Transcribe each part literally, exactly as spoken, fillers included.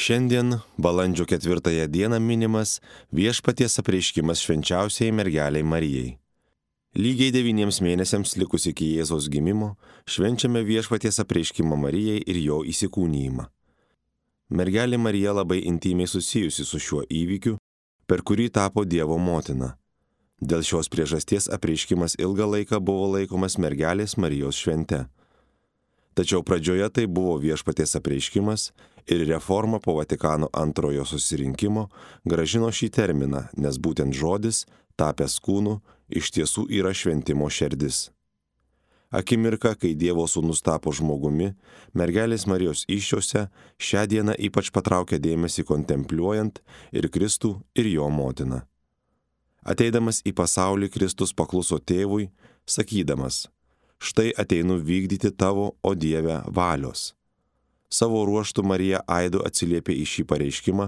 Šiandien, balandžio ketvirtąją dieną, minimas Viešpaties apreiškimas švenčiausiai mergeliai Marijai. Lygiai devyniems mėnesiams likus iki Jėzaus gimimo švenčiame Viešpaties apreiškimą Marijai ir jo įsikūnijimą. Mergelė Marija labai intymiai susijusi su šiuo įvykiu, per kurį tapo Dievo motina. Dėl šios priežasties apreiškimas ilgą laiką buvo laikomas mergelės Marijos švente. Tačiau pradžioje tai buvo Viešpaties apreiškimas ir reforma po Vatikano antrojo susirinkimo grąžino šį terminą, nes būtent žodis, tapęs kūnu, iš tiesų yra šventimo šerdis. Akimirka, kai Dievo sūnus tapo žmogumi, mergelės Marijos įsčiose šią dieną ypač patraukė dėmesį kontempliuojant ir Kristų, ir jo motiną. Ateidamas į pasaulį, Kristus pakluso tėvui, sakydamas: štai ateinu vykdyti tavo, o Dieve, valios. Savo ruožtu Marija aidu atsiliepė į šį pareiškimą,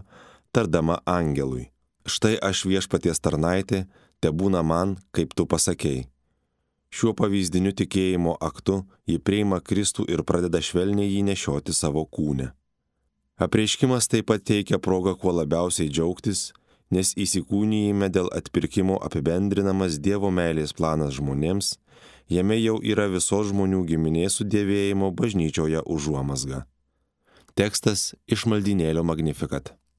tardama angelui: štai aš Viešpaties tarnaitė, tebūna man, kaip tu pasakei. Šiuo pavyzdiniu tikėjimo aktu ji priima Kristų ir pradeda švelniai jį nešioti savo kūne. Apreiškimas taip pat teikia progą kuo labiausiai džiaugtis, nes įsikūnijime dėl atpirkimo apibendrinamas Dievo meilės planas žmonėms, jame jau yra visos žmonių giminės sudėvėjimo bažnyčioje užuomazga. Tekstas iš maldynėlio Magnificat.